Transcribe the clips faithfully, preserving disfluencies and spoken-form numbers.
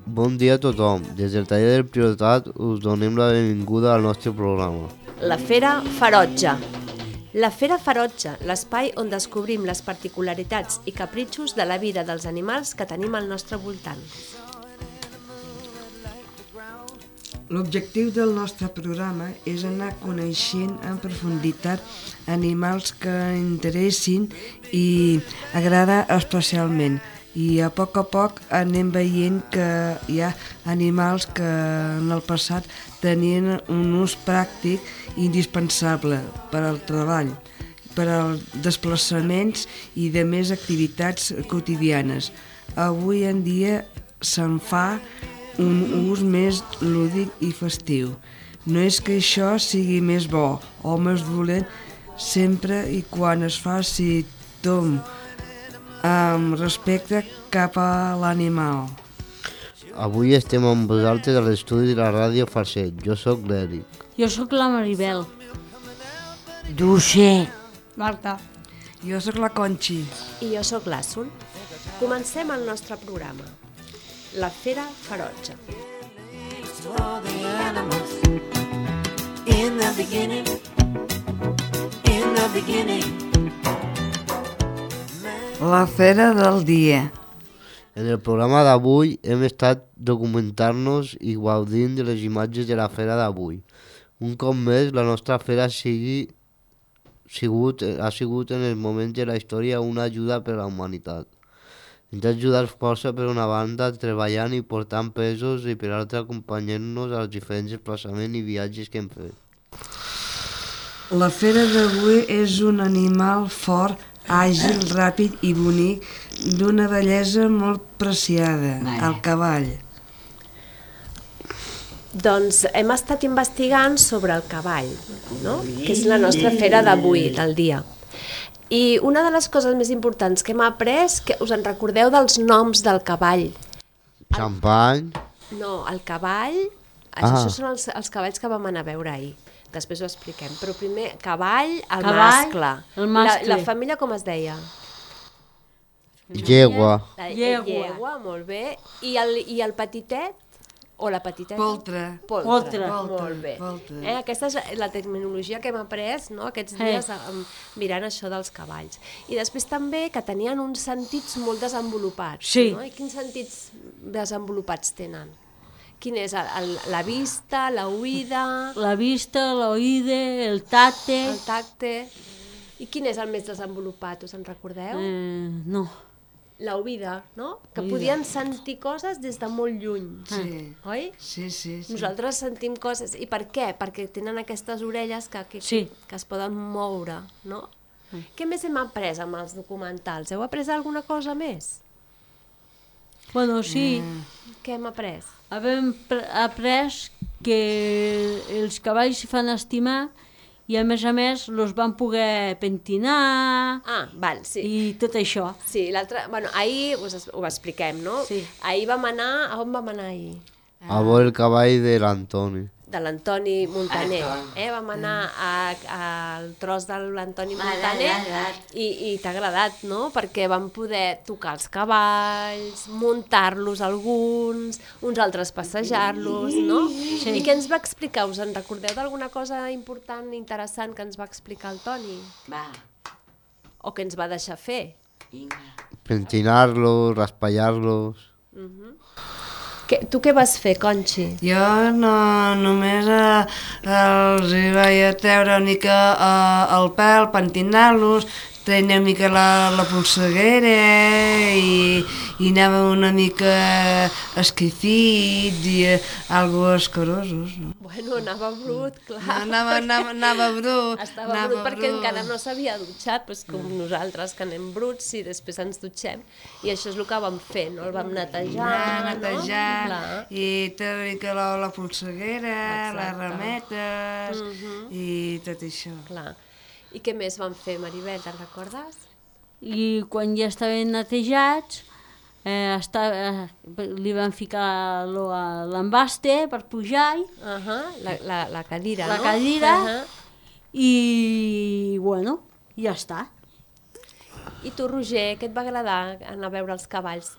Bon dia a tothom. Des del taller del Priorat us donem la benvinguda al nostre programa. La Fera Ferotge. La Fera Ferotge, l'espai on descobrim les particularitats i capritxos de la vida dels animals que tenim al nostre voltant. L'objectiu del nostre programa és anar coneixent en profunditat animals que interessin i agrada especialment. I a poc a poc anem veient que hi ha animals que en el passat tenien un ús pràctic indispensable per al treball, per als desplaçaments i de més activitats quotidianes. Avui en dia se'n fa un ús més lúdic i festiu. No és que això sigui més bo o més dolent sempre i quan es faci tom amb respecte cap a l'animal. Avui estem amb vosaltres a l'estudi de la ràdio Farset. Jo sóc l'Eric. Jo sóc la Maribel. Dulce. Marta. Jo sóc la Conxi. I jo sóc l'Àssul. Comencem el nostre programa. La Fera Ferotge. In the beginning, in the beginning. La fera del dia. En el programa d'avui hem estat documentant-nos i gaudint de les imatges de la fera d'avui. Un cop més, la nostra fera sigui, sigut, ha sigut en els moments de la història una ajuda per a la humanitat. Ens ha ajudat força per una banda treballant i portant pesos i per altra acompanyant-nos als diferents desplaçaments i viatges que hem fet. La fera d'avui és un animal fort, àgil, ràpid i bonic, d'una bellesa molt preciada, el cavall. Doncs hem estat investigant sobre el cavall, no? Que és la nostra fera d'avui, del dia. I una de les coses més importants que hem après, que us en recordeu dels noms del cavall? Xampany. No, el cavall, Ah. això són els, els cavalls que vam anar a veure ahir. Després ho expliquem. Però primer, cavall, el Cavall, mascle. el mascle. La, la família com es deia? Llegua. La Llegua. llegua, molt bé. I el, i el petitet? O la petiteta? Poltre. Poltre. Poltre. Molt bé. Poltre. Eh, aquesta és la terminologia que hem après, no?, aquests dies eh. mirant això dels cavalls. I després també que tenien uns sentits molt desenvolupats. Sí. No? I quins sentits desenvolupats tenen? Quin és? El, el, la vista, la oïda, La vista, l'oïda, el tacte... el tacte... I quin és el més desenvolupat, us en recordeu? Eh, no. La oïda, no? Que Oïda. podien sentir coses des de molt lluny, Sí, oi? sí, sí. sí. Nosaltres sentim coses. I per què? Perquè tenen aquestes orelles que, que, Sí. que es poden moure, no? Què més hem après amb els documentals? Heu après alguna cosa més? Bueno, sí, Què hem après? hem pre- après que els cavalls s'hi fan estimar i a més a més los van poder pentinar Ah, val, sí. i tot això. Sí, l'altre... Bueno, ahir us es- ho expliquem, no? Sí. Ahir vam anar... A on vam anar ahir? A veure el cavall de l'Antoni. De l'Antoni Montaner. Eh? Vam anar a- al tros de l'Antoni Montaner i, i t'ha agradat, no? Perquè vam poder tocar els cavalls, muntar-los alguns, uns altres passejar-los, no? Sí. I què ens va explicar? Us en recordeu d'alguna cosa important, interessant que ens va explicar el Toni? Va, O que ens va deixar fer? vinga. Pentinar-los, raspallar-los. Que, tu què vas fer, Conxi? Jo no, només eh, els hi vaig a treure una mica eh, el pèl, pentinar-los, tenia una mica la, la polseguera i, i anava una mica esquifits i eh, algo escarosos. No? Bueno, anava brut, clar. Anava, anava, anava brut. Estava anava brut perquè encara no s'havia dutxat, doncs com nosaltres, que anem bruts i després ens dutxem. I això és el que vam fer, no? El vam netejar, Anar, netejar, no? Clar. i treure una mica la, la polseguera, Exacte. les rametes i tot això. Clar. I què més van fer, Maribel, te'n recordes? I quan ja estaven netejats, eh, estava, eh, li van ficar lo- l'embaste per pujar Uh -huh. la, la, la cadira, La no? cadira. Uh -huh. i, bueno, ja està. I tu, Roger, què et va agradar anar a veure els cavalls?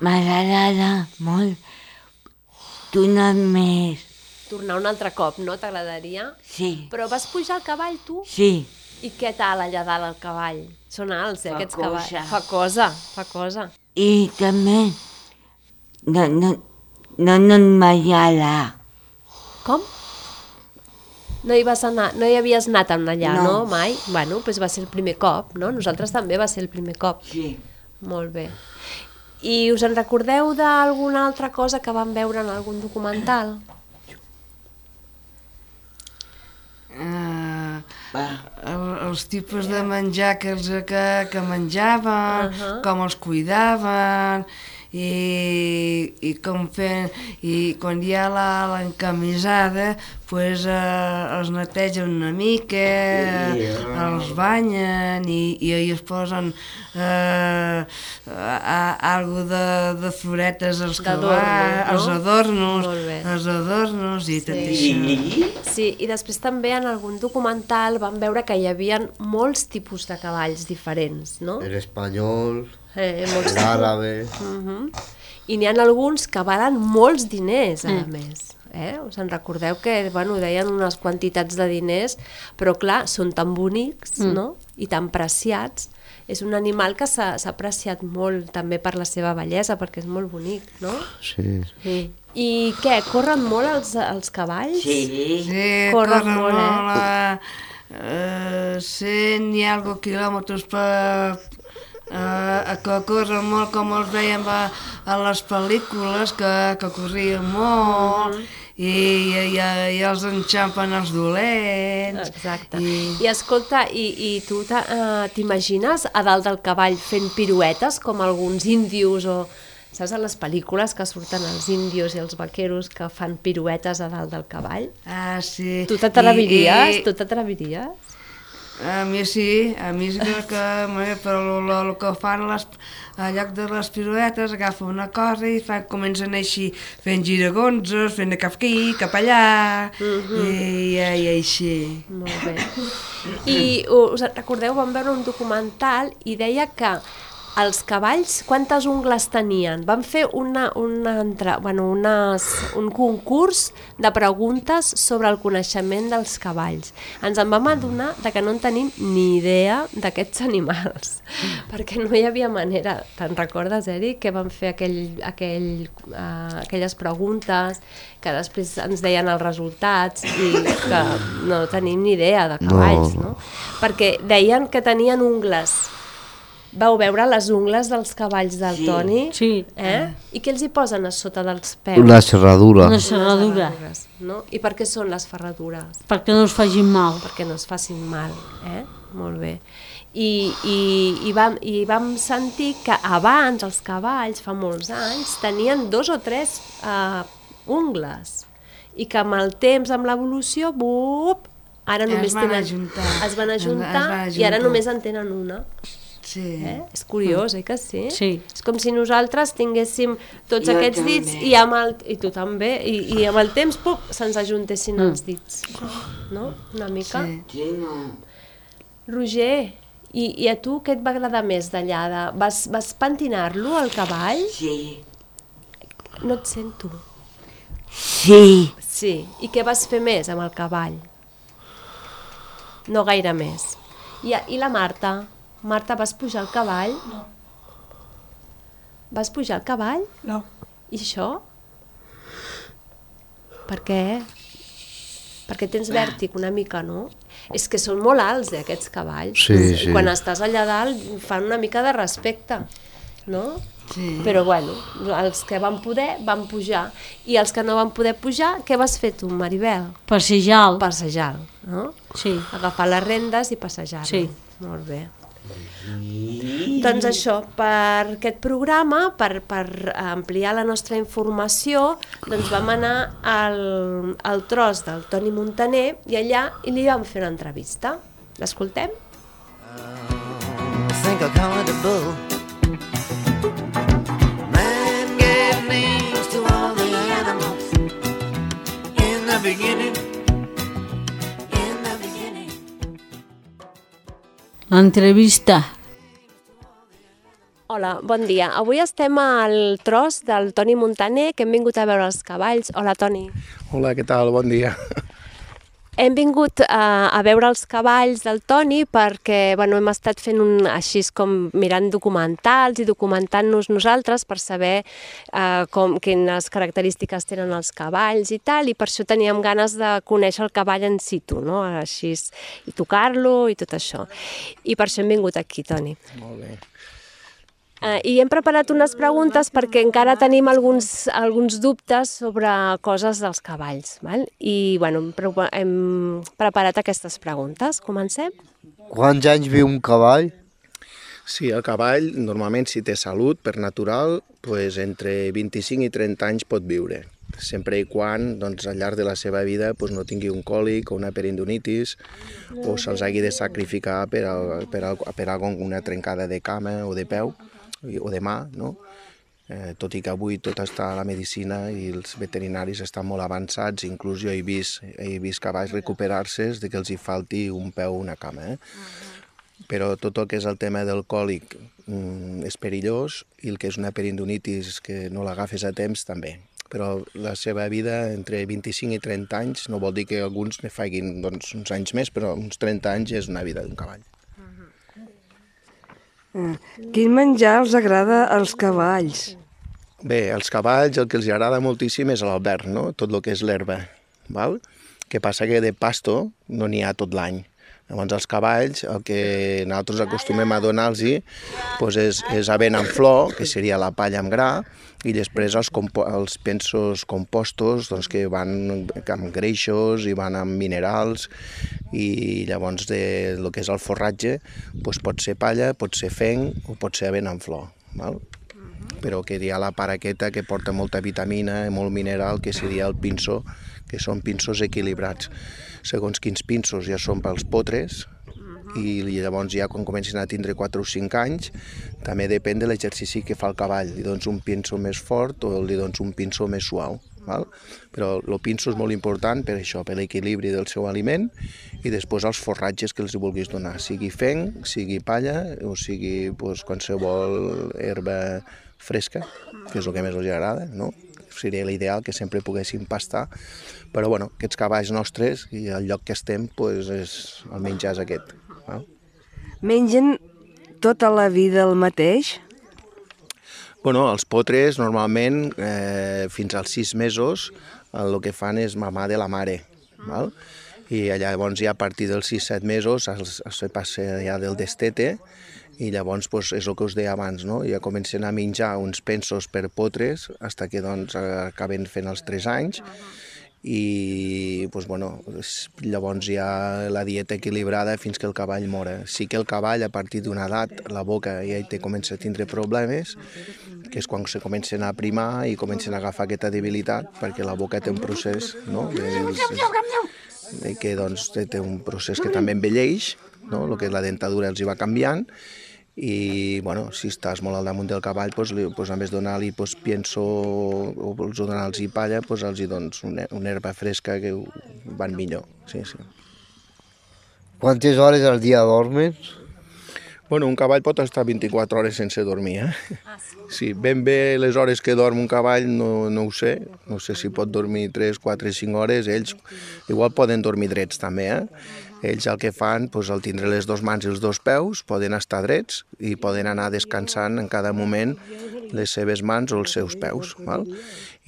M'agrada molt tornar més. Tornar un altre cop, no? T'agradaria? Sí, Però vas pujar al cavall, tu? sí. I què tal allà dalt el cavall? Són alts, eh, Fa aquests cosa. cavalls. Fa cosa, fa cosa. I també no, no, no, no m'agrada. Com? No hi vas anar, no hi havies anat allà, no? No. Mai? Bueno, doncs va ser el primer cop, no? Nosaltres també va ser el primer cop. Sí. Molt bé. I us en recordeu d'alguna altra cosa que vam veure en algun documental? Uh, Va. el, els tipus de menjar que, els, que, que menjaven, Uh-huh. com els cuidaven, i, i com fent, i quan hi ha la- l'encamisada, pues, eh, els netegen una mica, Yeah. els banyen i, i es posen eh, a, a, algo de, de floretes als D'adorno, cavalls, no? els adornos, Molt bé. els adornos i tot Sí. això. Sí, i després també en algun documental vam veure que hi havia molts tipus de cavalls diferents, no? El espanyol, Eh, molts l'àrabe... Uh-huh. I n'hi ha alguns que valen molts diners, a més. Eh? Us en recordeu que bueno, deien unes quantitats de diners, però clar, són tan bonics, mm. no? I tan preciats. És un animal que s'ha s'ha apreciat molt també per la seva bellesa, perquè és molt bonic, no? Sí. Sí. I què, corren molt els, els cavalls? Sí. Sí, Corren corren molt, eh? molt, a, eh, cent i algo quilòmetres per... Eh, que corren molt com els veiem a, a les pel·lícules, que, que corrien molt, i, i, i els enxampen els dolents. Exacte. I, I escolta, i, i tu t'ha- eh, t'imagines a dalt del cavall fent piruetes com alguns índios o... Saps, a les pel·lícules que surten els índios i els vaqueros que fan piruetes a dalt del cavall? ah, sí. Tu t'atreviries? I- i- Tu t'atreviries? A mi sí, a mi sí que, que però el que fan les, al lloc de les piruetes, agafen una cosa i fan, comencen així fent giragonzos, fent cap aquí, cap allà, Mhm. i, i, i així. Molt bé. I us recordeu, vam veure un documental i deia que els cavalls, quantes ungles tenien? Van fer una, una, entra, bueno, unes, un concurs de preguntes sobre el coneixement dels cavalls. Ens en vam adonar de que no en tenim ni idea d'aquests animals, perquè no hi havia manera. Te'n recordes, Eric, que van fer aquell, aquell, uh, aquelles preguntes que després ens deien els resultats i que no tenim ni idea de cavalls, no? no? Perquè deien que tenien ungles. Vau veure les ungles dels cavalls del Sí. Toni? Sí. Eh? I què els hi posen a sota dels peus? La serradura. Una serradura, ferradures, no? I per què són les ferradures? perquè no us facin mal. Perquè no es facin mal, eh? Molt bé. I, i, i, vam, I vam sentir que abans els cavalls, fa molts anys, tenien dos o tres uh, ungles i que amb el temps, amb l'evolució, bup, ara Es només van tenen... ajuntar. Es van Es- es ajuntar, van i ara ajuntar. només en tenen una. Sí. Eh? És curiós, eh, que sí? Sí. És com si nosaltres tinguéssim tots Jo aquests també. dits i, amb el, i tu també, i, i amb el temps pup, se'ns ajuntessin Mm. els dits. No? Una mica. Sí. Sí, no. Roger, i, i a tu què et va agradar més d'allà? De... Vas, vas pentinar-lo, al cavall? Sí. No et sento. Sí. Sí. I què vas fer més amb el cavall? No gaire més. I, i la Marta? Marta, vas pujar al cavall? No. Vas pujar al cavall? No. I això? Per què? Perquè tens vèrtic una mica, no? És que són molt alts, eh, aquests cavalls. Sí, sí. Quan estàs allà dalt fan una mica de respecte, no? Sí. Però bueno, els que van poder van pujar. I els que no van poder pujar, què vas fer tu, Maribel? Passejar. Passejar, no? Sí. Agafar les rendes i passejar. Sí. Molt bé. Doncs això, per aquest programa, per, per ampliar la nostra informació, doncs vam anar al, al tros del Toni Muntaner i allà i li vam fer una entrevista. L'escoltem? Think I'll call it a bull. Man gave names to all the animals in the beginning. In Entrevista. Hola, bon dia. Avui estem al tros del Toni Montaner, que hem vingut a veure els cavalls. Hola, Toni. Hola, què tal? Bon dia. Hem vingut a, a veure els cavalls del Toni perquè bueno, hem estat fent un, així com mirant documentals i documentant-nos nosaltres per saber eh, com, quines característiques tenen els cavalls i tal, i per això teníem ganes de conèixer el cavall en situ, no? Així, i tocar-lo i tot això. I per això hem vingut aquí, Toni. Molt bé. Uh, I hem preparat unes preguntes perquè encara tenim alguns, alguns dubtes sobre coses dels cavalls. Val? I bueno, hem, pre hem preparat aquestes preguntes. Comencem? Quants anys viu un cavall? Sí, el cavall, normalment, si té salut, per natural, pues, entre vint-i-cinc i trenta anys pot viure. Sempre i quan, doncs, al llarg de la seva vida pues, no tingui un còlic o una perindonitis o se'ls hagi de sacrificar per, al, per, al, per algun, una trencada de cama o de peu o de mà, no? Eh, tot i que avui tot està a la medicina i els veterinaris estan molt avançats, inclús jo he vist, he vist cavalls recuperar-se de que els hi falti un peu o una cama. Eh? Però tot el que és el tema del còlic mm, és perillós i el que és una perindonitis que no l'agafes a temps també. Però la seva vida entre vint-i-cinc i trenta anys no vol dir que alguns ne facin doncs, uns anys més, però uns trenta anys és una vida d'un cavall. Quin menjar els agrada als cavalls? Bé, als cavalls el que els agrada moltíssim és l'albert, no? Tot el que és l'herba. Val? Que passa que de pasto no n'hi ha tot l'any. Llavors els cavalls el que nosaltres acostumem a donar-los doncs és, és avent en flor, que seria la palla amb gra, i després els, els pensos compostos doncs, que van amb greixos i van amb minerals, i llavors de, el que és el forratge doncs pot ser palla, pot ser fenc o pot ser avent en flor. Val? Però que hi ha la part aquesta que porta molta vitamina i molt mineral, que seria el pinso, que són pinsos equilibrats. Segons quins pinsos ja són pels potres, i llavors ja quan comencin a tindre quatre o cinc anys també depèn de l'exercici que fa el cavall, li dones un pinso més fort o li dones un pinso més suau. Val? Però el pinso és molt important per això, per l'equilibri del seu aliment, i després els forratges que els vulguis donar, sigui fenc, sigui palla o sigui doncs, qualsevol herba fresca, que és el que més els agrada, no? Seria l'ideal que sempre poguessin pastar, però bueno, aquests cavalls nostres i el lloc que estem, doncs és, el menjar és aquest. No? Mengen tota la vida el mateix? Bueno, els potres normalment eh, fins als sis mesos el que fan és mamar de la mare, val? I llavors ja a partir dels sis set mesos es, es passa ja del destete, i llavors doncs, és el que us deia abans, no? Ja comencen a menjar uns pensos per potres fins que doncs, acaben fent els tres anys, i doncs, bueno, llavors hi ha la dieta equilibrada fins que el cavall mora. Sí que el cavall a partir d'una edat la boca ja hi té, comença a tindre problemes, que és quan se comencen a primar i comencen a agafar aquesta debilitat, perquè la boca té un procés, no? De, que doncs, té un procés que també envelleix, no? El que és la dentadura els hi va canviant, i bueno, si estàs molt al damunt del cavall, doncs, doncs, en vez de donar-li doncs, pienso o vols donar-los palla, doncs, els hi dones una, una herba fresca que van millor. Sí, sí. Quantes hores al dia dormes? Bueno, un cavall pot estar vint-i-quatre hores sense dormir, eh? Sí, ben bé les hores que dorm un cavall no, no ho sé, no sé si pot dormir tres, quatre, cinc hores, ells igual poden dormir drets també, eh? Ells el que fan, doncs, al tindre les dues mans i els dos peus, poden estar drets i poden anar descansant en cada moment les seves mans o els seus peus. Val?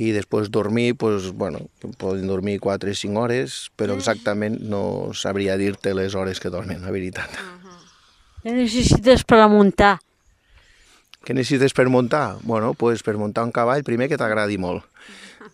I després dormir, doncs, bueno, poden dormir quatre o cinc hores, però exactament no sabria dir-te les hores que dormen, la veritat. Què necessites per a muntar? Què necessites per muntar? Bueno, doncs per muntar un cavall, primer que t'agradi molt.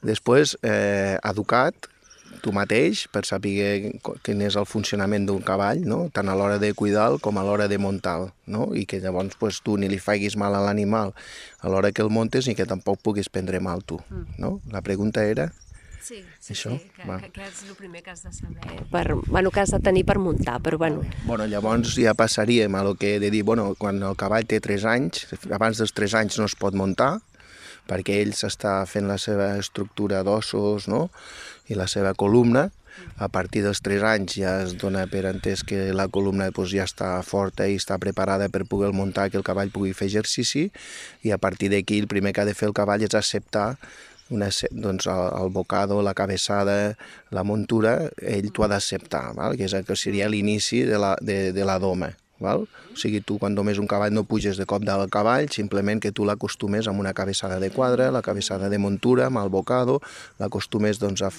Després, eh, educat, tu mateix, per saber quin és el funcionament d'un cavall, no? Tant a l'hora de cuidar com a l'hora de muntar, no? I que llavors pues, tu ni li facis mal a l'animal a l'hora que el montes ni que tampoc puguis prendre mal tu, no? La pregunta era... Sí, sí, Això? sí que, Va. que, que és el primer que has de saber, per, bueno, que has de tenir per muntar, però bueno. Bueno, llavors ja passaríem a lo que he de dir, bueno, quan el cavall té tres anys, abans dels tres anys no es pot muntar, perquè ell s'està fent la seva estructura d'ossos, no?, i la seva columna, A partir dels tres anys ja es dona per entès que la columna doncs, ja està forta i està preparada per poder muntar, que el cavall pugui fer exercici, i a partir d'aquí el primer que ha de fer el cavall és acceptar una, doncs, el, el bocado, la cabeçada, la muntura, ell t'ho ha d'acceptar, que, és, que seria l'inici de, la, de, de la doma. Val? O sigui, tu quan domes un cavall no puges de cop del cavall, simplement que tu l'acostumes amb una cabeçada de quadre, la cabeçada de muntura, amb el bocado, l'acostumes, doncs, a,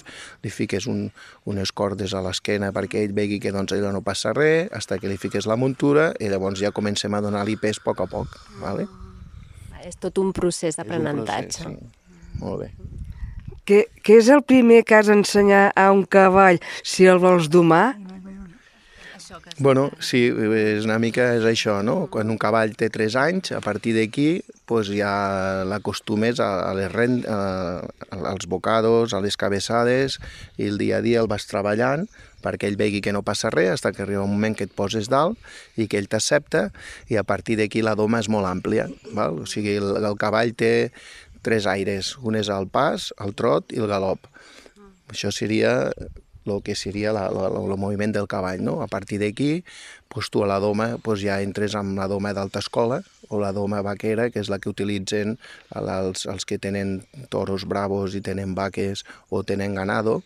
li fiques un, unes cordes a l'esquena perquè ell vegi que doncs, ella no passa res, fins que li fiques la muntura i llavors ja comencem a donar-li pes a poc a poc. Vale? És tot un procés d'aprenentatge. Sí. Molt bé. Què, què és el primer que has d'ensenyar a un cavall si el vols domar? Bueno, sí, és una mica és això, no? Quan un cavall té tres anys, a partir d'aquí pues, ja l'acostumes a, a les rend, a, als bocados, a les cabeçades, i el dia a dia el vas treballant perquè ell vegi que no passa res, fins que arriba un moment que et poses dalt i que ell t'accepta, i a partir d'aquí la doma és molt àmplia. Val? O sigui, el, el cavall té tres aires, un és el pas, el trot i el galop. Això seria el que seria la, la, el moviment del cavall, no? A partir d'aquí, pues, tu a la doma pues, ja entres amb la doma d'alta escola o la doma vaquera, que és la que utilitzen els, els que tenen toros bravos i tenen vaques o tenen ganado,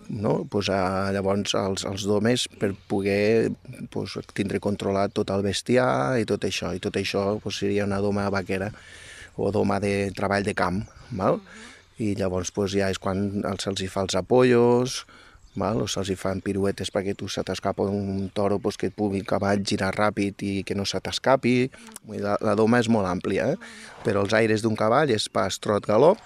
no? Pues, a, llavors els, els domes per poder pues, tindre controlat tot el bestiar i tot això, i tot això pues, seria una doma vaquera o doma de treball de camp, val? I llavors pues, ja és quan se'ls hi fa els apollos, val? O se'ls hi fan piruetes perquè tu se t'escapa un toro pues, que et pugui el cavall girar ràpid i que no se t'escapi. La, la doma és molt àmplia, eh? Però els aires d'un cavall és pas, trot, galop,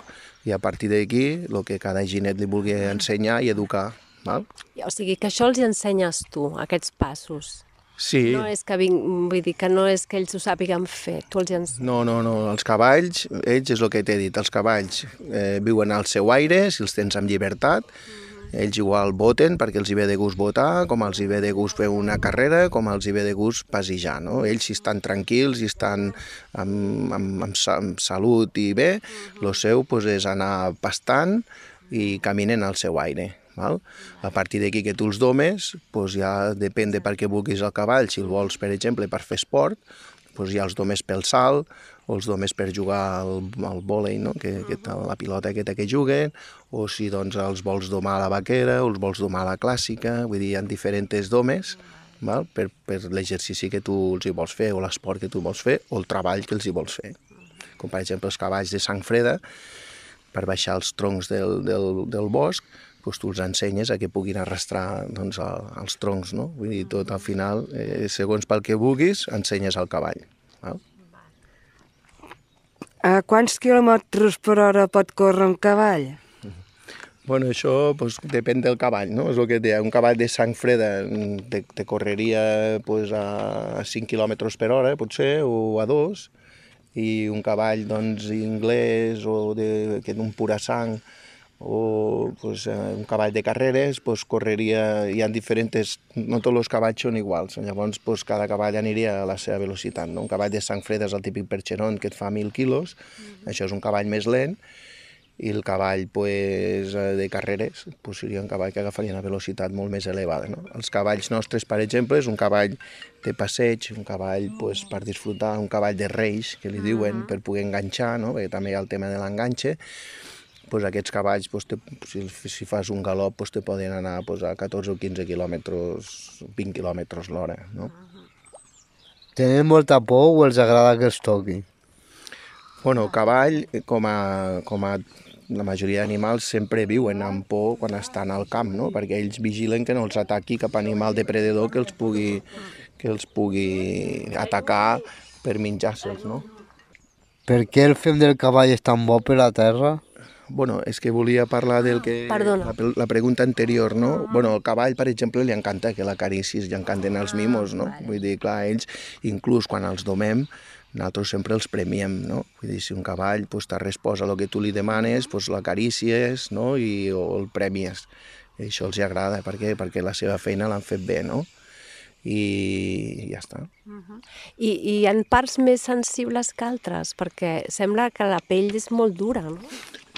i a partir d'aquí el que cada ginet li vulgui ensenyar i educar. Val? O sigui que això els hi ensenyes tu, aquests passos. Sí. No és que, vinc, vull dir que no és que ells ho sàpiguen fer, tu els hi ensenyes. No, no, no, els cavalls, ells és el que t'he dit, els cavalls eh, viuen al seu aire, si els tens amb llibertat, ells igual voten perquè els hi ve de gust votar, com els hi ve de gust fer una carrera, com els hi ve de gust passejar, no? Ells si estan tranquils i estan amb, amb, amb, amb salut i bé, el seu pues, és anar pastant i caminen al seu aire. Val? A partir d'aquí que tu els domes, pues ja depèn de per què vulguis el cavall, si el vols, per exemple, per fer esport, pues ja els domes pel salt, o els domes per jugar al, al vòlei, no? que, que la pilota aquesta que juguen, o si doncs, els vols domar a la vaquera, o els vols domar a la clàssica, vull dir, hi ha diferents domes, val? Per, per l'exercici que tu els hi vols fer, o l'esport que tu vols fer, o el treball que els hi vols fer. Com per exemple els cavalls de sang freda, per baixar els troncs del, del, del bosc, doncs tu els ensenyes a que puguin arrastrar doncs, els troncs, no? Vull dir, tot al final, eh, segons pel que vulguis, ensenyes al cavall. Val? A quants quilòmetres per hora pot córrer un cavall? Bueno, això pues, depèn del cavall, no? És el que et deia, un cavall de sang freda te, te correria pues, a cinc quilòmetres per hora, potser, o a dos, i un cavall doncs, inglès o de, que d'un pura sang, o pues, un cavall de carreres, pues, correria, hi ha diferents, no tots els cavalls són iguals, llavors pues, cada cavall aniria a la seva velocitat, no? Un cavall de sang freda és el típic percheron que et fa mil quilos, mm-hmm. Això és un cavall més lent, i el cavall pues, de carreres pues, seria un cavall que agafaria una velocitat molt més elevada. No? Els cavalls nostres, per exemple, és un cavall de passeig, un cavall pues, per disfrutar, un cavall de reis, que li diuen, per poder enganxar, no? Perquè també hi ha el tema de l'enganxe. Pues aquests cavalls, pues, te, si, si fas un galop, pues, te poden anar pues, a catorze o quinze quilòmetres, vint quilòmetres l'hora. No? Tenen molta por o els agrada que els toqui? Bueno, el cavall, com a, com a la majoria d'animals, sempre viuen amb por quan estan al camp, no? Perquè ells vigilen que no els ataqui cap animal depredador que els pugui, que els pugui atacar per menjar-se'ls, no? Per què el fem del cavall és tan bo per la terra? Bueno, és que volia parlar del que... Perdona. La, la pregunta anterior, no? Bueno, al cavall, per exemple, li encanta que l'acaricis, li encanten els mimos, no? Vull dir, clar, ells, inclús quan els domem, nosaltres sempre els premiem, no? Vull dir, si un cavall pues, t'ha respost a el que tu li demanes, pues, l'acarícies, no? I, o el premies. I això els agrada, per què? Perquè la seva feina l'han fet bé, no? I ja està. Uh-huh. I, I hi ha parts més sensibles que altres? Perquè sembla que la pell és molt dura, no?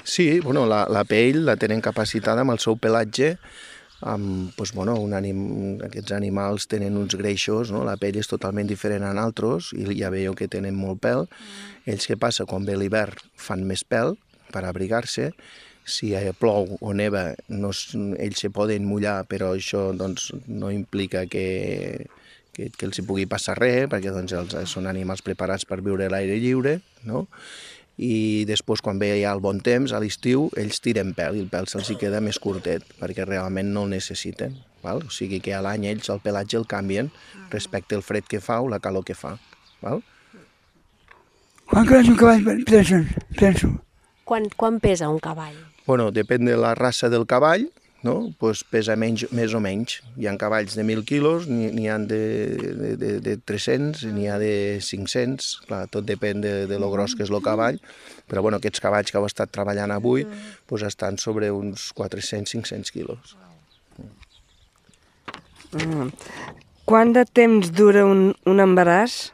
Sí, bueno, la, la pell la tenen capacitada amb el seu pelatge amb, doncs, bueno, un anim... aquests animals tenen uns greixos, no? La pell és totalment diferent a altres i ja veieu que tenen molt pèl. Ells, què passa? Quan ve l'hivern fan més pèl per abrigar-se. Si plou o neva, no, ells se poden mullar, però això doncs, no implica que, que, que els hi pugui passar res, perquè doncs, els, són animals preparats per viure a l'aire lliure, no? I després, quan ve ja el bon temps, a l'estiu, ells tiren pèl i el pèl se'ls queda més curtet, perquè realment no el necessiten. Val? O sigui que a l'any ells el pelatge el canvien respecte al fred que fa o la calor que fa. Val? Quan creix un cavall, penso? penso. Quan, quan pesa un cavall? Bueno, depèn de la raça del cavall, no? Pues pesa menys, més o menys. Hi ha cavalls de mil quilos, n'hi ha de, de, de, de tres-cents, n'hi ha de cinc-cents, clar, tot depèn de, de lo gros que és el cavall, però bueno, aquests cavalls que heu estat treballant avui pues, estan sobre uns quatre-cents a cinc-cents quilos. Mm. Quant de temps dura un, un embaràs?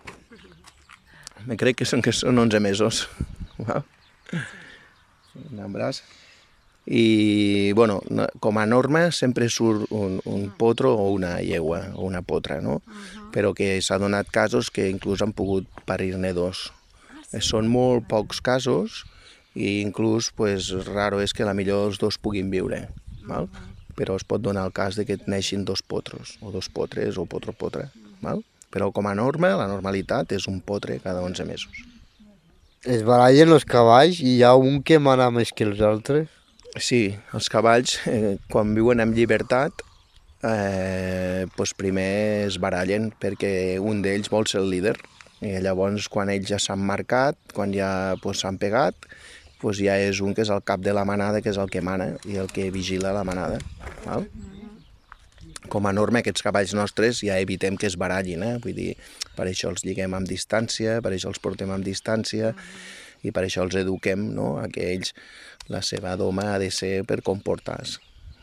Me crec que són, que són onze mesos. Un embaràs. I, bueno, com a norma sempre surt un, un potro o una llegua o una potra, no? Però que s'ha donat casos que inclús han pogut parir-ne dos. Són molt pocs casos i inclús, pues, raro és que a la millor els dos puguin viure, val? Però es pot donar el cas de que et neixin dos potros, o dos potres, o potro-potra, val? Però com a norma, la normalitat és un potre cada onze mesos. Es barallen els cavalls i hi ha un que mana més que els altres? Sí, els cavalls, eh, quan viuen en llibertat, eh, pues primer es barallen perquè un d'ells vol ser el líder. I llavors, quan ells ja s'han marcat, quan ja pues, s'han pegat, pues ja és un que és el cap de la manada, que és el que mana i el que vigila la manada. Val? Com a norma, aquests cavalls nostres ja evitem que es barallin, eh? Vull dir, per això els lliguem amb distància, per això els portem amb distància i per això els eduquem, no? A que ells, la seva doma ha de ser per comportar-se.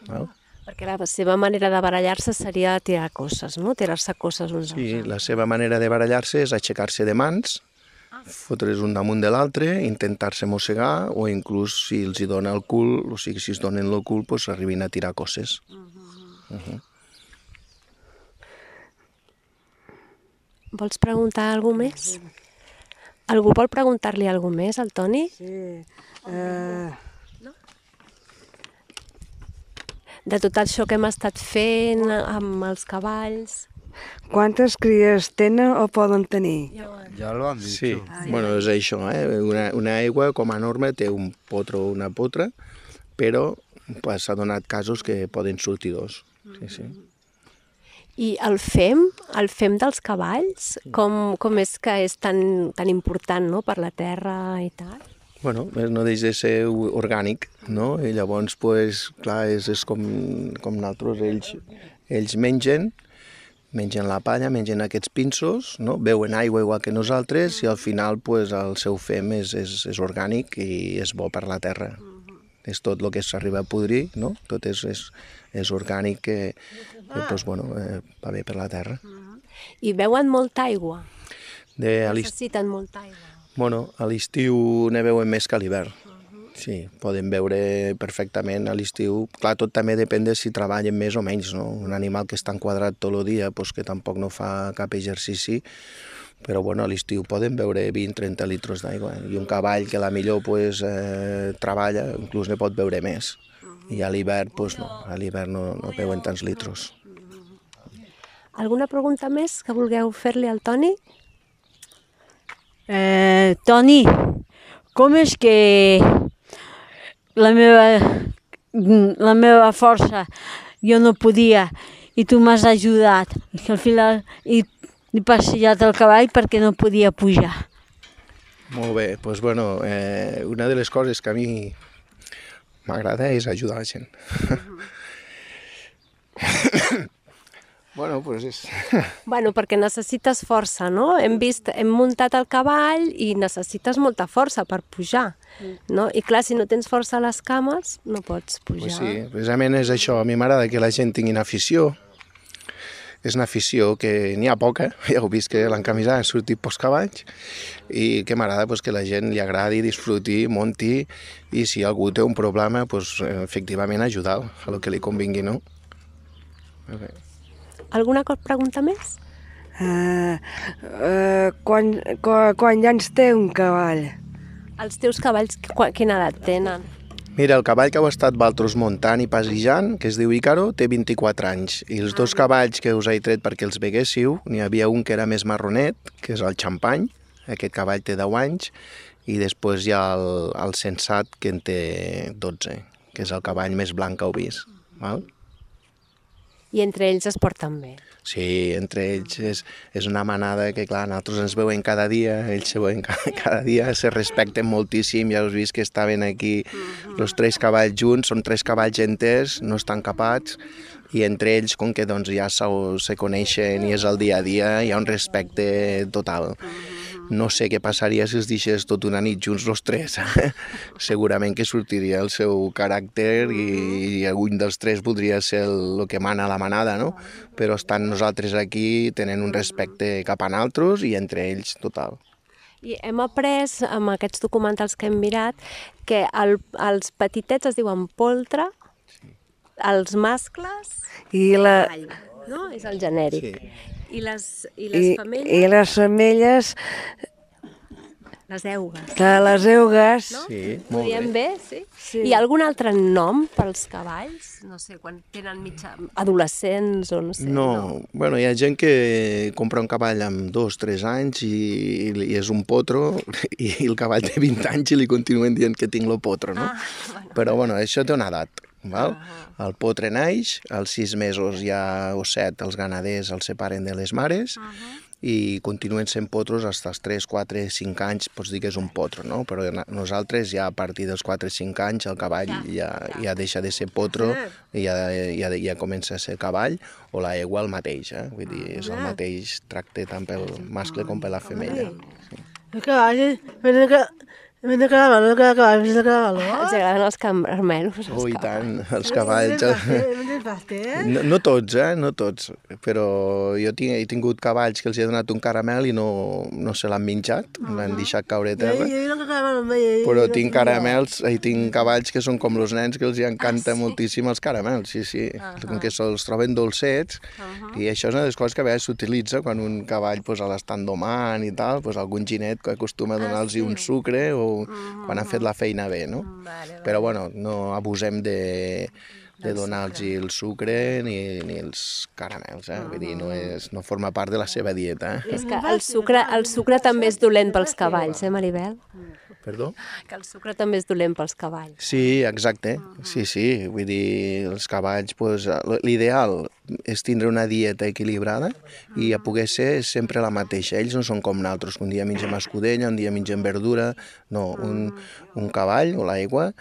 Val? Perquè la seva manera de barallar-se seria tirar cosses, no? Tirar-se cosses uns als Sí, altres. la seva manera de barallar-se és aixecar-se de mans, fotre's un damunt de l'altre, intentar-se mossegar o inclús si els hi dona el cul, o sigui, si es donen el cul, pues arribin a tirar cosses. Uh -huh. Vols preguntar alguna més? Algú vol preguntar-li alguna més al Toni? Sí. Uh... De tot això que hem estat fent amb els cavalls... Quantes cries tenen o poden tenir? Ja l'ho han dit. Sí, bueno, és això, eh? Una, una aigua, com a norma, té un potro o una potra, però pues, s'ha donat casos que poden sortir dos. Sí, sí. I el fem, el fem dels cavalls, com, com és que és tan, tan important, no?, per la terra i tal? Bueno, no deixa de ser orgànic, no? I llavors, pues, clar, és, és com, com nosaltres, ells, ells mengen, mengen la palla, mengen aquests pinsos, no? Beuen aigua igual que nosaltres i al final pues, el seu fem és, és, és orgànic i és bo per la terra. És tot el que s'arriba a podrir, no? Tot és, és, és orgànic que, que pues, bueno, eh, va bé per la terra. I beuen molta aigua? De, a Necessiten molta aigua? Bueno, a l'estiu ne beuen més que a l'hivern. Sí, poden beure perfectament a l'estiu. Clar, tot també depèn de si treballen més o menys, no? Un animal que està enquadrat tot el dia, pues, que tampoc no fa cap exercici, però bueno, a l'estiu poden beure vint a trenta litres d'aigua. I un cavall que a la millor pues, eh, treballa, inclús ne pot beure més. I a l'hivern, pues, no, a l'hivern no, no beuen tants litros. Alguna pregunta més que vulgueu fer-li al Toni? Eh, Toni, com és que la meva, la meva força jo no podia i tu m'has ajudat i al final he, he passejat el cavall perquè no podia pujar? Molt bé, doncs bueno, eh, una de les coses que a mi m'agrada és ajudar la gent. Bueno, pues és... Bueno, perquè necessites força, no? Hem vist, hem muntat el cavall i necessites molta força per pujar, no? I clar, si no tens força a les cames, no pots pujar. Pues sí, precisament és això. A mi m'agrada que la gent tingui afició. És una afició que n'hi ha poca, ja heu vist que l'encamisada ha sortit pels cavalls, i que m'agrada pues, que la gent li agradi, disfruti, monti, i si algú té un problema, pues, efectivament ajudar a lo que li convingui, no? Okay. Alguna pregunta més? Uh, uh, quan, quan, quan anys té un cavall? Els teus cavalls, quina edat tenen? Mira, el cavall que heu estat vosaltres muntant i passejant, que es diu Ícaro, té vint-i-quatre anys. I els dos cavalls que us he tret perquè els veguéssiu, n'hi havia un que era més marronet, que és el Xampany, aquest cavall té deu anys, i després hi ha el, el Sensat, que en té dotze, que és el cavall més blanc que heu vist. Val? I entre ells es porten bé. Sí, entre ells és, és una manada que, clar, nosaltres ens veuen cada dia, ells se veuen cada, cada dia, se respecten moltíssim, ja us vist que estaven aquí els tres cavalls junts, són tres cavalls enters, no estan capats, i entre ells, com que doncs, ja se, se coneixen i és el dia a dia, hi ha un respecte total. No sé què passaria si es deixés tota una nit junts els tres. Segurament que sortiria el seu caràcter i, i algun dels tres voldria ser el, el que mana la manada, no? Però estan nosaltres aquí, tenen un respecte cap a nosaltres i entre ells total. I hem après, amb aquests documentals que hem mirat, que el, els petitets es diuen poltre, els mascles, I la... cavall, no? És el genèric. Sí. I les, i les I, femelles, I les femelles, les eugues. de les eugues, No? Sí, Ho molt diem bé. bé, sí? Sí. Hi ha algun altre nom pels cavalls? No sé, quan tenen mitja... adolescents o no sé. No, bueno, hi ha gent que compra un cavall amb dos, tres anys i, i és un potro i el cavall té vint anys i li continuen dient que tinc lo potro, no? Ah, bueno. Però bueno, això té una edat, val? El potre naix, als sis mesos ja o set els ganaders els separen de les mares i continuen sent potros fins als tres, quatre, cinc anys, pots dir que és un potro, no? Però na- nosaltres ja a partir dels quatre o cinc anys el cavall ja, ja deixa de ser potro i ja, ja, ja comença a ser cavall, o la egua el mateix, eh? Vull dir, és el mateix tracte tant pel mascle com per la femella. El cavall, venen que... Venen que la mano, que la cavall, venen que la mano. Els agraden els caramelos. els Oh, i cavalls. tant, els cavalls... Venen el pastel. No, no tots, eh? No tots. Però jo tinc, he tingut cavalls que els he donat un caramel i no, no se l'han menjat, l'han deixat caure a terra. Però tinc caramels, i tinc cavalls que són com els nens que els hi encanta moltíssim els caramels, sí, sí. Com que se'ls troben dolcets, i això és una de les coses que a vegades s'utilitza quan un cavall pues, l'estan domant i tal, pues, algun ginet que acostuma a donar-los un sucre o quan han fet la feina bé, no? Però bueno, no abusem de, de donar-los el sucre ni, ni els caramels, eh? Vull dir, no, és, no forma part de la seva dieta. Eh? És que el sucre, el sucre també és dolent pels cavalls, eh, Maribel? Perdó? Que el sucre també és dolent pels cavalls. Sí, exacte. Sí, sí. Vull dir, els cavalls, pues, l'ideal és tindre una dieta equilibrada i a poder ser sempre la mateixa. Ells no són com nosaltres, que un dia mengem escudella, un dia mengem verdura. No, un, un cavall o l'aigua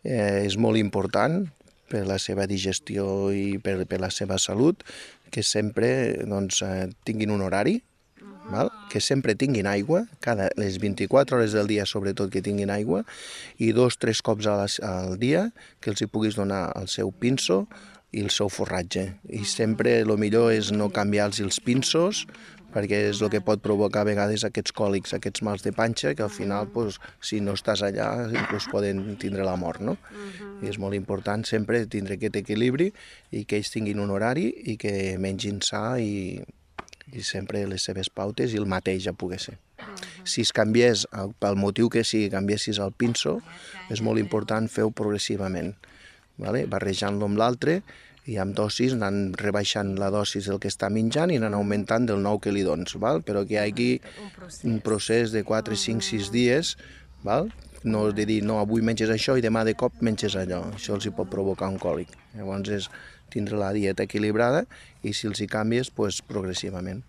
eh, és molt important per la seva digestió i per, per la seva salut, que sempre doncs, eh, tinguin un horari, val? Que sempre tinguin aigua, cada les vint-i-quatre hores del dia sobretot que tinguin aigua, i dos, tres cops a les, al dia que els hi puguis donar el seu pinso i el seu forratge. I sempre el millor és no canviar-los els pinsos, perquè és el que pot provocar a vegades aquests còlics, aquests mals de panxa, que al final, pues, si no estàs allà, inclús poden tindre la mort, no? I és molt important sempre tindre aquest equilibri i que ells tinguin un horari i que mengin sa i, i sempre les seves pautes i el mateix a poder ser. Si es canviés, pel motiu que sigui, canviessis el pinso, és molt important fer-ho progressivament, vale? Barrejant-lo amb l'altre i amb dosis anant rebaixant la dosis del que està menjant i anant augmentant del nou que li dones, val? Però que hi hagi un procés de quatre, cinc, sis dies, val? No de dir, no, avui menges això i demà de cop menges allò, això els hi pot provocar un còlic. Llavors és tindre la dieta equilibrada i si els hi canvies, pues, progressivament.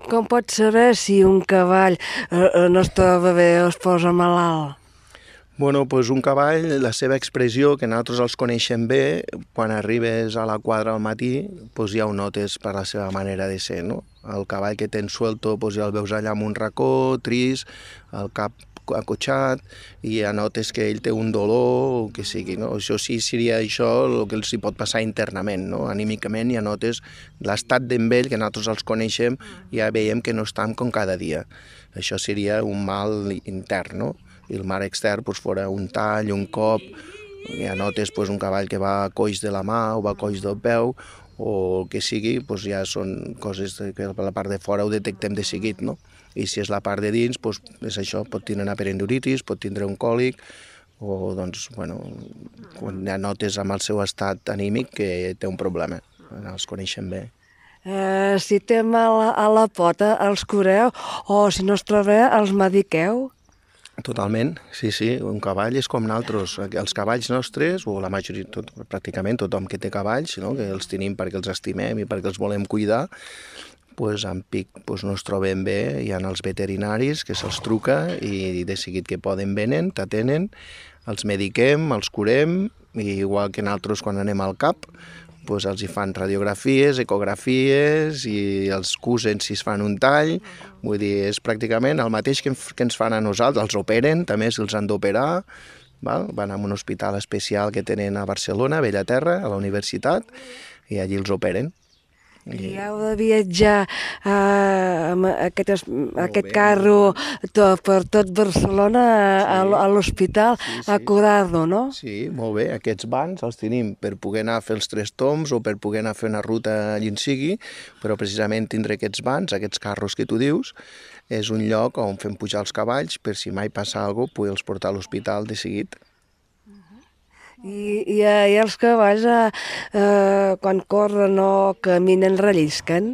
Com pots saber si un cavall eh, no es troba bé o es posa malalt? Bueno, doncs un cavall, la seva expressió, que nosaltres els coneixem bé, quan arribes a la quadra al matí, doncs ja ho notes per la seva manera de ser, no? El cavall que tens suelto, doncs ja el veus allà amb un racó, trist, el cap acotxat, i ja notes que ell té un dolor, o que sigui, no? Això sí seria això el que els hi pot passar internament, no? Anímicament ja notes l'estat d'en ell, que nosaltres els coneixem, ja veiem que no estan com cada dia. Això seria un mal intern, no? I el mal extern doncs, fora un tall, un cop, ja notes doncs, un cavall que va coix de la mà o va coix del peu, o el que sigui, doncs ja són coses que a la part de fora ho detectem de seguit, no? I si és la part de dins, doncs és això, pot tindre una peritonitis, pot tindre un còlic, o doncs, bueno, quan ja notes amb el seu estat anímic que té un problema, els coneixem bé. Eh, si té mal a la pota, els cureu, o si no es troba, els mediqueu? Totalment, sí, sí, un cavall és com nosaltres. Els cavalls nostres, o la majoria, tot, pràcticament tothom que té cavalls, no? Que els tenim perquè els estimem i perquè els volem cuidar, pues, en pic pues, no es troben bé, hi ha els veterinaris que se'ls truca i de seguit que poden venen, t'atenen, els mediquem, els curem, i igual que nosaltres quan anem al cap, pues, els hi fan radiografies, ecografies i els cusen si es fan un tall. Vull dir, és pràcticament el mateix que, que ens fan a nosaltres. Els operen, també si els han d'operar. Van a un hospital especial que tenen a Barcelona, a Bellaterra, a la universitat, i allí els operen. I heu de viatjar eh, amb aquest, aquest carro tot, per tot Barcelona a, sí. a l'hospital sí, sí. a curar-lo, no? Sí, molt bé. Aquests bancs els tenim per poder anar a fer els tres tombs o per poder anar a fer una ruta allà on sigui, però precisament tindre aquests bancs, aquests carros que tu dius, és un lloc on fem pujar els cavalls per si mai passa alguna cosa, poder-los portar a l'hospital de seguit. I, i, i els cavalls, eh, eh, quan corren o caminen, rellisquen?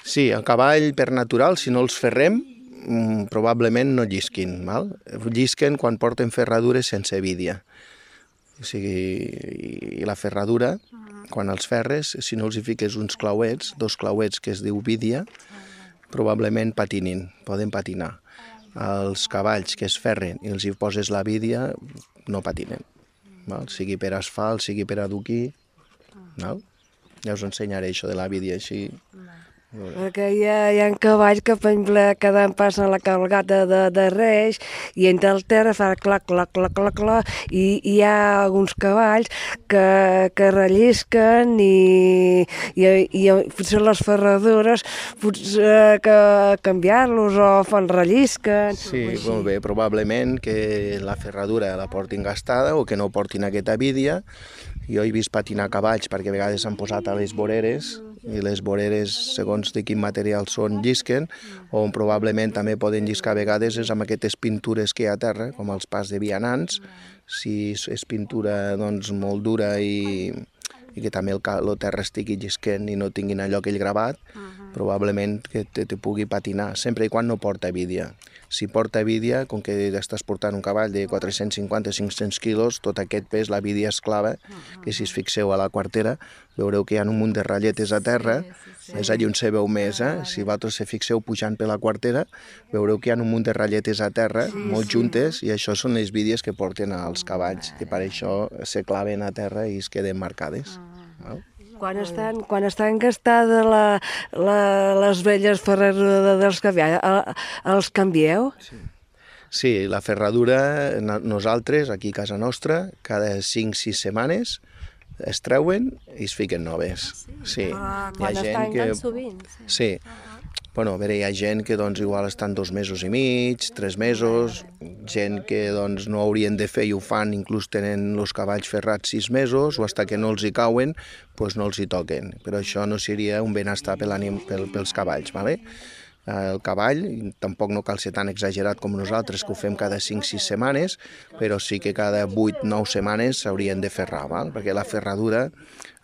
Sí, el cavall per natural, si no els ferrem, probablement no llisquin. Val? Llisquen quan porten ferradures sense vídia. O sigui, i la ferradura, quan els ferres, si no els hi fiques uns clauets, dos clauets que es diu vídia, probablement patinin, poden patinar. Els cavalls que es ferren i els hi poses la vídia, no patinen. Val? Sigui per asfalt, sigui per adoquí, val? Ja us ensenyaré això de la vídia així. Perquè hi ha, hi ha cavalls que, per exemple, cada any passen a la cabalgata de, de Reis i entra al terra, fa clac, clac, clac, clac, clac, i hi ha alguns cavalls que, que rellisquen i, i, i potser les ferradures, potser que canviar-los o fan rellisquen. Sí, molt bé, probablement que la ferradura la portin gastada o que no portin aquesta vídia. Jo he vist patinar cavalls perquè a vegades s'han posat a les voreres i les voreres, segons de quin material són, llisquen, o probablement també poden lliscar a vegades és amb aquestes pintures que hi ha a terra, com els pas de vianants, si és pintura doncs, molt dura i, i que també el, el terra estigui llisquent i no tinguin allò aquell gravat, probablement que te, te pugui patinar, sempre i quan no porta vídia. Si porta vídia, com que estàs portant un cavall de quatre-cents cinquanta a cinc-cents quilos, tot aquest pes, la vídia es clava, que si es fixeu a la quartera, veureu que hi ha un munt de ratlletes a terra, sí, sí, sí. És allà on se veu més, eh? Si vosaltres se fixeu pujant per la quartera, veureu que hi ha un munt de ratlletes a terra, sí, molt juntes, i això són les vídies que porten als cavalls, que per això se claven a terra i es queden marcades. Val? Quan estan, quan estan gastades la, la, les velles ferradures dels cavalls, els canvieu? Sí. Sí, la ferradura, nosaltres, aquí a casa nostra, cada cinc o sis setmanes es treuen i es fiquen noves. Sí. Ah, quan estan tan sovint. Sí. Bueno, a veure, hi ha gent que doncs, igual estan dos mesos i mig, tres mesos, gent que doncs, no haurien de fer i ho fan, inclús tenen els cavalls ferrats sis mesos, o fins que no els hi cauen, doncs no els hi toquen. Però això no seria un benestar pel, pel, pels cavalls, ¿vale? El cavall, tampoc no cal ser tan exagerat com nosaltres, que ho fem cada cinc o sis setmanes, però sí que cada vuit o nou setmanes s'haurien de ferrar, ¿val? Perquè la ferradura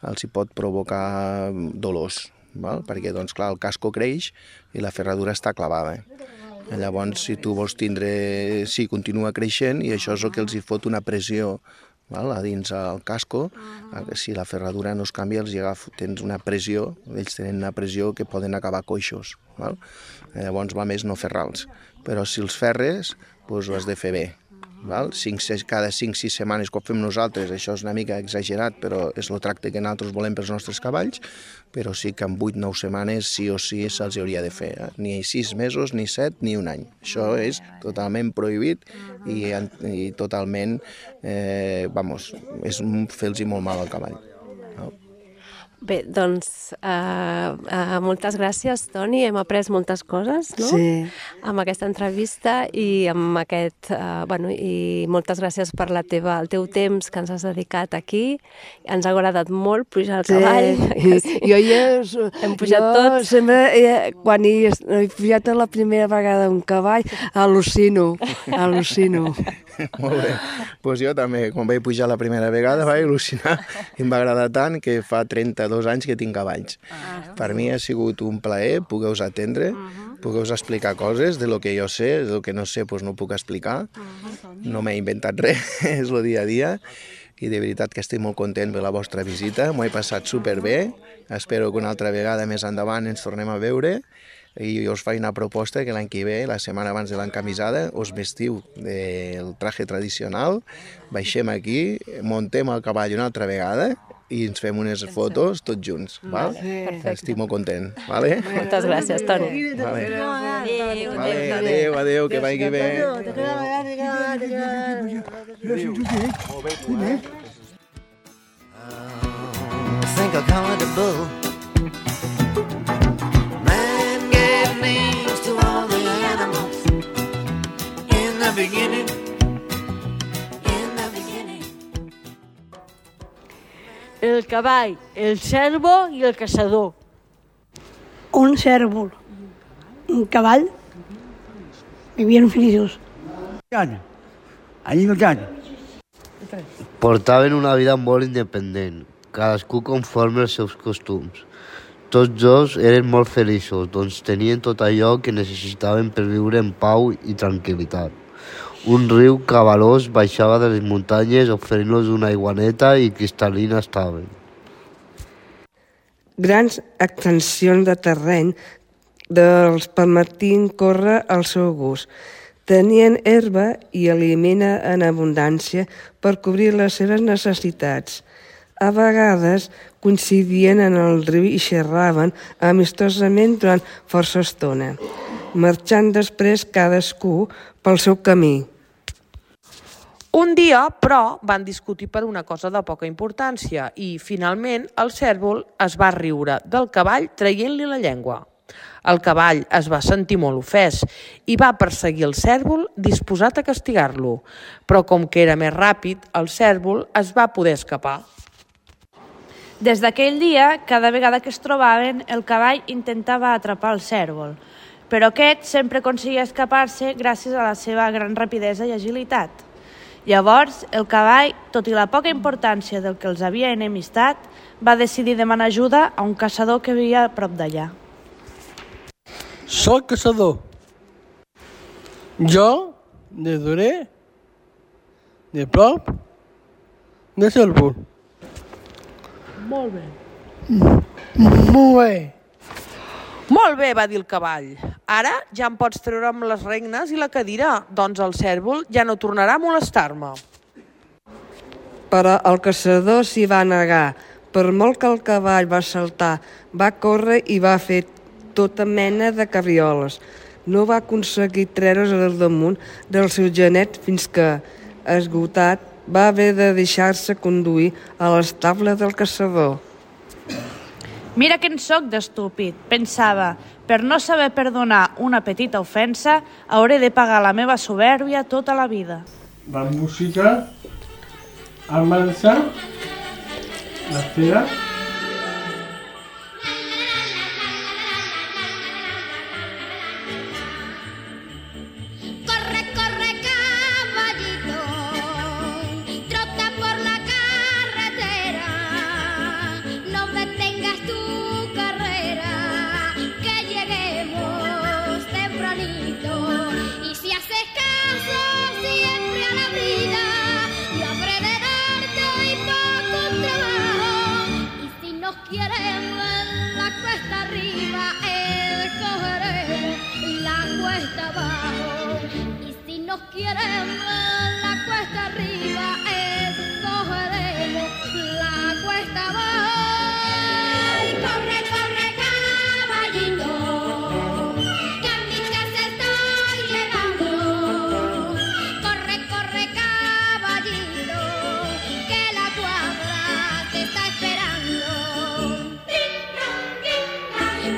els hi pot provocar dolors. Val? Perquè doncs, clar, el casco creix i la ferradura està clavada. Llavors, si tu vols tindre... Sí, continua creixent i això és el que els hi fot una pressió, val? A dins el casco. Si la ferradura no es canvia, els hi agafa, tens una pressió, ells tenen una pressió que poden acabar coixos. Val? Llavors va més no ferrar-los. Però si els ferres, doncs ho has de fer bé. Val? Cinc, cada cinc o sis setmanes que ho fem nosaltres, això és una mica exagerat, però és el tracte que nosaltres volem pels nostres cavalls, però sí que en vuit o nou setmanes sí o sí se'ls hauria de fer, eh? Ni sis mesos, ni set, ni un any. Això és totalment prohibit i, i totalment, eh, vamos, és fer-los molt mal al cavall. No? Bé, doncs uh, uh, moltes gràcies, Toni. Hem après moltes coses, no? Sí. Amb aquesta entrevista i amb aquest... Uh, bueno, i moltes gràcies per la teva, el teu temps que ens has dedicat aquí. Ens ha agradat molt pujar al cavall. Sí. Sí. Jo ja... Hem pujat jo tots. Sempre, eh, quan he, he pujat la primera vegada un cavall, al·lucino, al·lucino. Molt bé. Pues jo també, quan vaig pujar la primera vegada, vaig al·lucinar. Em va agradar tant que fa trenta-dos anys que tinc cavalls. Ah, per mi ha sigut un plaer poder-vos atendre, uh -huh. poder-vos explicar coses de lo que jo sé, de lo que no sé pues no puc explicar. Uh -huh. No m'he inventat res, és el dia a dia. I de veritat que estic molt content per la vostra visita, m'ho he passat superbé. Espero que una altra vegada més endavant ens tornem a veure. I jo us faig una proposta que l'any que ve, la setmana abans de l'encamisada, us vestiu del traje tradicional, baixem aquí, montem el cavall una altra vegada i ens fem unes fotos tots junts, val? Perfecte. Estic molt content, vale? Moltes gràcies, Toni. Vale. Adéu, Vale, adéu, adéu, que vagi bé. Think accountable. Man gave names to all the animals in the beginning. In the beginning. El cavall, el cervo i el caçador. Un cèrvol, un cavall, vivien feliços. En llibertat. Portaven una vida molt independent, cadascú conforme als seus costums. Tots dos eren molt feliços, doncs tenien tot allò que necessitaven per viure en pau i tranquil·litat. Un riu cabalós baixava de les muntanyes oferint-los una aigua neta i cristal·lina estaven. Grans extensions de terreny dels permetien córrer al seu gust. Tenien herba i aliment en abundància per cobrir les seves necessitats. A vegades coincidien en el riu i xerraven amistosament durant força estona, marxant després cadascú pel seu camí. Un dia, però, van discutir per una cosa de poca importància i, finalment, el cèrvol es va riure del cavall traient-li la llengua. El cavall es va sentir molt ofès i va perseguir el cèrvol disposat a castigar-lo, però com que era més ràpid, el cèrvol es va poder escapar. Des d'aquell dia, cada vegada que es trobaven, el cavall intentava atrapar el cèrvol, però aquest sempre aconseguia escapar-se gràcies a la seva gran rapidesa i agilitat. Llavors, el cavall, tot i la poca importància del que els havia enemistat, va decidir demanar ajuda a un caçador que vivia a prop d'allà. Soc caçador. Jo de duré de prop de cèrvol. Molt bé. Molt bé. Molt bé, va dir el cavall. Ara ja em pots treure amb les regnes i la cadira, doncs el cèrvol ja no tornarà a molestar-me. Però el caçador s'hi va negar. Per molt que el cavall va saltar, va córrer i va fer tota mena de cabrioles. No va aconseguir treure's al damunt del seu genet fins que, esgotat, va haver de deixar-se conduir a l'estable del caçador. Mira que en soc d'estúpid, pensava. Per no saber perdonar una petita ofensa, hauré de pagar la meva soberbia tota la vida. La música, el marxar, l'espera.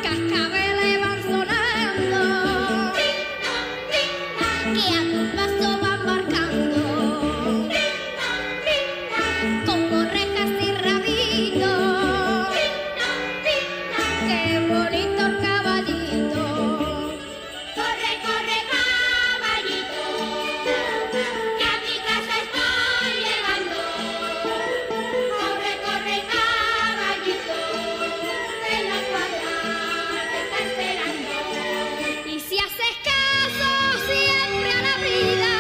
cascabeles van sonando, que a tu paso van marcando, como rejas y rabitos, qué bonito el caballito. Corre, corre, caballito, que a mi casa estoy llegando. Corre, corre, caballito, que la cuadra te está esperando. Y si haces caso siempre a la vida,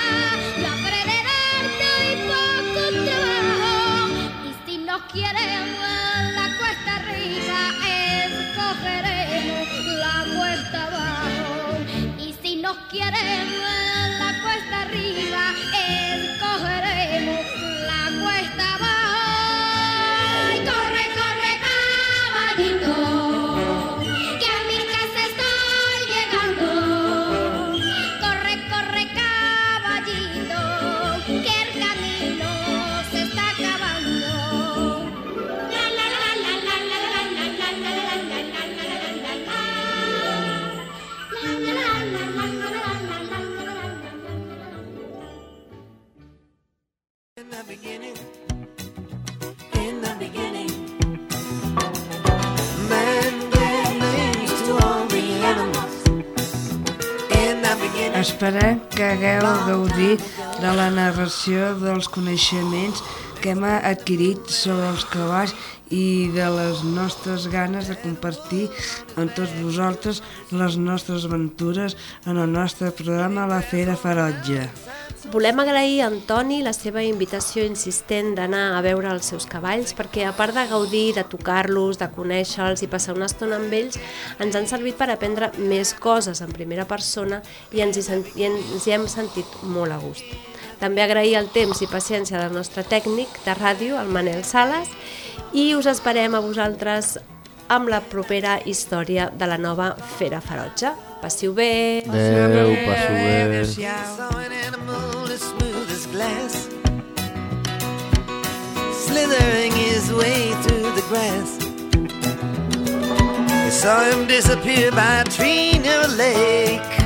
la habré de darte hoy poco trabajo. Y si nos queremos en la cuesta arriba, escogeremos la cuesta abajo. Y si nos queremos en la cuesta arriba, escogeremos la cuesta abajo. Y corre, corre, caballito, que a mi casa estoy llegando. Corre, corre, caballito, que el camino se está acabando. La la la la la la la la la la la la la la la la la. In the beginning, in the beginning, man gave names to all the animals. In the beginning. Esperem que hagueu gaudit de la narració dels coneixements que hem adquirit sobre els cavalls i de les nostres ganes de compartir amb tots vosaltres les nostres aventures en el nostre programa La Fera Ferotge. Volem agrair a Antoni la seva invitació insistent d'anar a veure els seus cavalls, perquè a part de gaudir, de tocar-los, de conèixer-los i passar una estona amb ells, ens han servit per aprendre més coses en primera persona i ens hi, sent, i ens hi hem sentit molt a gust. També agrair el temps i paciència del nostre tècnic de ràdio, el Manel Sales, i us esperem a vosaltres amb la propera història de la nova Fera Ferotge. Passiu bé! Adéu, passiu bé! Saw an animal as smooth as glass, slithering his way through the grass. He saw him disappear by a tree near a lake.